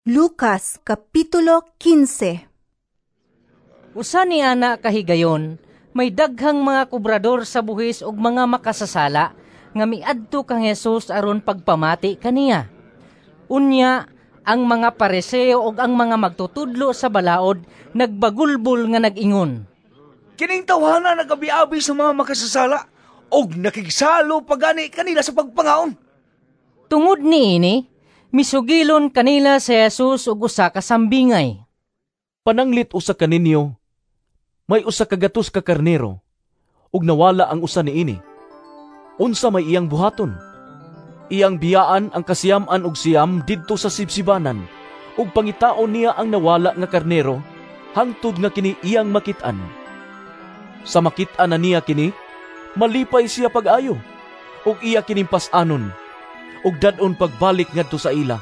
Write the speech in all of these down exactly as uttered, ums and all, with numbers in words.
Lucas Kapitulo kinse. Usa ni ana kahigayon, may daghang mga kobrador sa buhis ug mga makasasala nga miadto kang Hesus aron pagpamati kaniya. Unya, ang mga Pariseo ug ang mga magtutudlo sa balaod nagbagulbol nga nag-ingon, "Kining tawhana nagabiabi sa mga makasasala ug nakigsalo pa gani kanila sa pagpangaon." Tungod niini, misugilon kanila si Jesus og usa ka sambingay. "Pananglit usa kaninyo may usa ka gatos ka karnero ug nawala ang usa niini. Unsa may iyang buhaton? Iyang biyaan ang kasiyam-an og siyam didto sa sibsibanan ug pangitaon niya ang nawala nga karnero hangtod nga kini iyang makit-an. Sa makit-an na niya kini, malipay siya pag-ayo ug iya kining pas-anon ug dad-on pagbalik ngadto sa ila.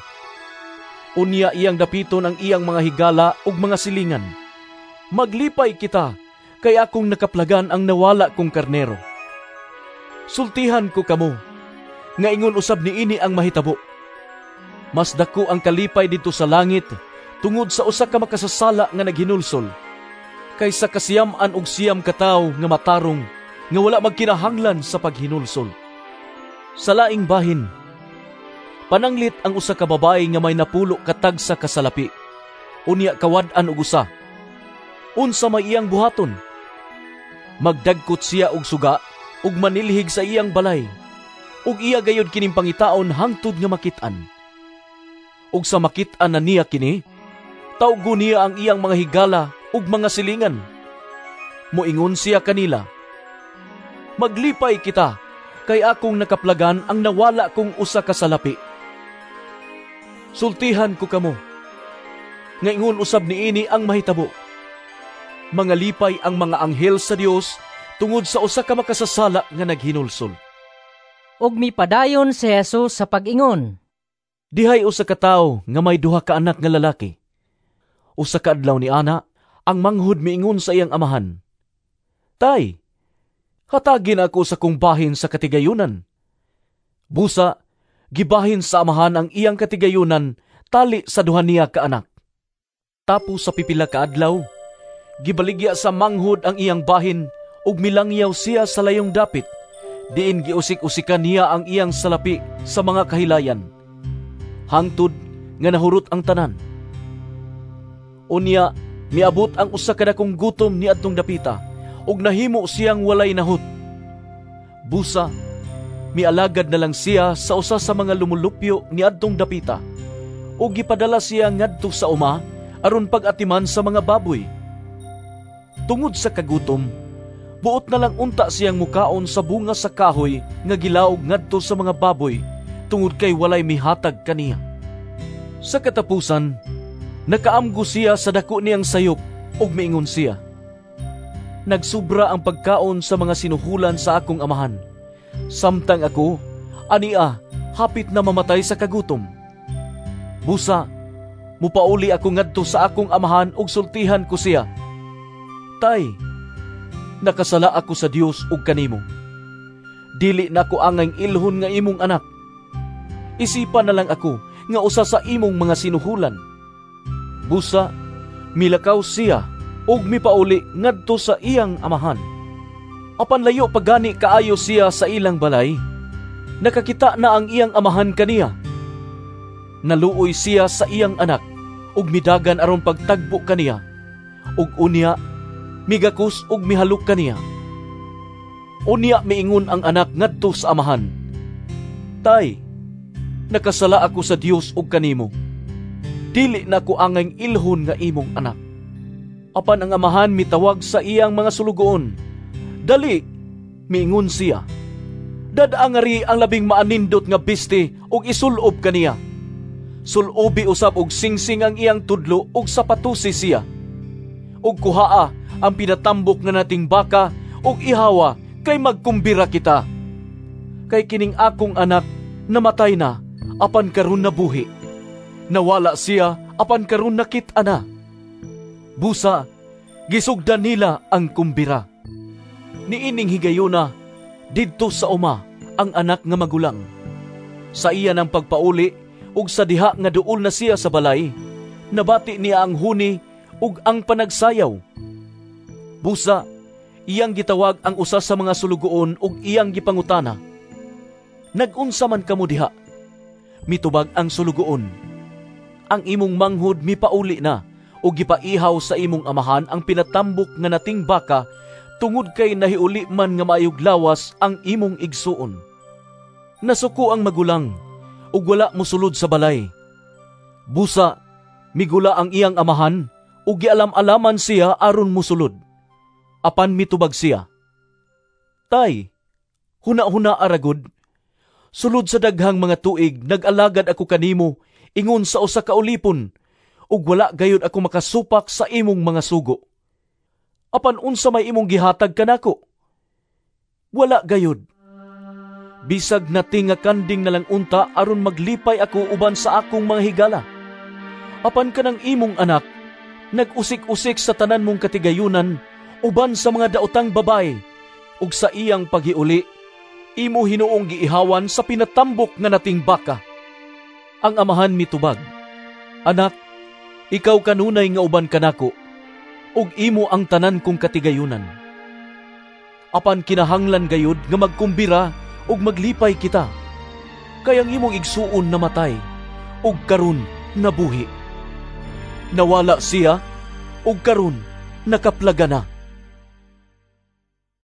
Unya iyang dapiton ang iyang mga higala ug mga silingan, 'Maglipay kita, kay akong nakaplagan ang nawala kong karnero.' Sultihan ko kamo, nga ingon usab niini ang mahitabo. Mas dako ang kalipay didto sa langit tungod sa usa ka makasasala nga naghinulsol, kaysa kasiyam-an og siyam ka tawo nga matarong nga wala magkinahanglan sa paghinulsol. Sa laing bahin, pananglit ang usa ka babayi nga may napulo ka tagsa ka salapi, unya kawad-an og usa. Unsa may iyang buhaton? Magdagkot siya og suga ug manilhig sa iyang balay, ug iya gayud kining pangitaon hangtod nga makit-an. Ug sa makit-an na niya kini, tawgo niya ang iyang mga higala ug mga silingan. Moingon siya kanila, 'Maglipay kita, kay akong nakaplagan ang nawala kong usa ka salapi.' Sultihan ko kamo, nga ingon usab niini ang mahitabo. Mangalipay ang mga anghel sa Dios tungod sa usa ka makasasala nga naghinulsol." Ug mipadayon si Jesus sa pag-ingon, "Dihay usa ka tawo nga may duha ka anak nga lalaki. Usa ka adlaw ni ana, ang manghod miingon sa iyang amahan, 'Tay, hatagi na ako sa kong bahin sa katigayunan.' Busa, gibahin sa amahan ang iyang katigayunan tali sa duha niya ka anak. Tapos sa pipila ka adlaw, gibaligya sa manghod ang iyang bahin ug milangyaw siya sa layong dapit, diin giusik-usikan niya ang iyang salapi sa mga kahilayan, hangtod nga nahurot ang tanan. Unya, miabot ang usa ka dakong gutom niadtong dapita ug nahimo siyang walay nahut. Busa, mialagad na lang siya sa usa sa mga lumulupyo niadtong dapita ug gipadala siya ngadto sa uma aron pag-atiman sa mga baboy. Tungod sa kagutom, buot na lang unta siyang mukaon sa bunga sa kahoy nga gilaog ngadto sa mga baboy tungod kay walay mihatag kaniya. Sa katapusan, nakaamgo siya sa dako niyang sayop ug miingon siya, 'Nagsubra ang pagkaon sa mga sinuhulan sa akong amahan, samtang ako, ania, hapit na mamatay sa kagutom. Busa, mupauli ako ngadto sa akong amahan ug sultihan ko siya, Tay, nakasala ako sa Dios ug kanimo. Dili na ako angay ilhon nga imong anak. Isipan na lang ako nga usa sa imong mga sinuhulan.' Busa, milakaw siya ug mipauli ngadto sa iyang amahan. Apan layo pa gani kaayo siya sa ilang balay, nakakita na ang iyang amahan kaniya. Naluoy siya sa iyang anak ug midagan aron pagtagbo kaniya, ug unya migakos ug mihalok kaniya. Unya miingon ang anak ngadto sa amahan, 'Tay, nakasala ako sa Dios ug kanimo. Dili na ko angay ilhon nga imong anak.' Apan ang amahan mitawag sa iyang mga sulugoon. 'Dali,' miingon siya. 'Dad-a ngari ang labing maanindot nga biste ug isulob kaniya. Sulobi usab og singsing ang iyang tudlo ug sapatusi siya. Ug kuhaa ang pinatambok nga nating baka ug ihawa kay magkumbira kita. Kay kining akong anak namatay na apan karon nabuhi. Nawala siya apan karon nakit-an na.' Busa, gisugdan nila ang kumbira. Niining higayuna, didto sa uma ang anak nga magulang. Sa iya ng pagpauli ug sa diha nga duol na siya sa balay, Nabati niya ang huni ug ang panagsayaw. Busa, iyang gitawag ang usa sa mga sulugoon ug iyang gipangutana, "Nag-unsa man kamo diha?" Mitubag ang sulugoon, "Ang imong manghod mipauli na ug gipaihaw sa imong amahan ang pinatambok nga nating baka tungod kay nahiuli man nga maayog lawas ang imong igsuon." Nasuko ang magulang ug wala mosulod sa balay. Busa, migula ang iyang amahan ug gialam-alaman siya aron mosulod. Apan mitubag siya, "Tay, huna-huna aragod. Sulod sa daghang mga tuig nag-alagad ako kanimo ingon sa usa ka ulipon ug wala gayud ako makasupak sa imong mga sugo. Apan unsa may imong gihatag kanako? Wala gayud. Bisag nati nga kanding na lang unta aron maglipay ako uban sa akong mga higala. Apan kanang imong anak nag-usik-usik sa tanan mong katigayunan uban sa mga daotang babaye, ug sa iyang paghiuli imo hinuong giihawan sa pinatambok nga nating baka." Ang amahan mitubag, "Anak, ikaw kanunay nga uban kanako, ug imo ang tanan kong katigayunan. Apan kinahanglan gayud nga magkumbira ug maglipay kita, kay ang imong igsuon namatay, ug karon nabuhi. Nawala siya, ug karon nakaplaga na."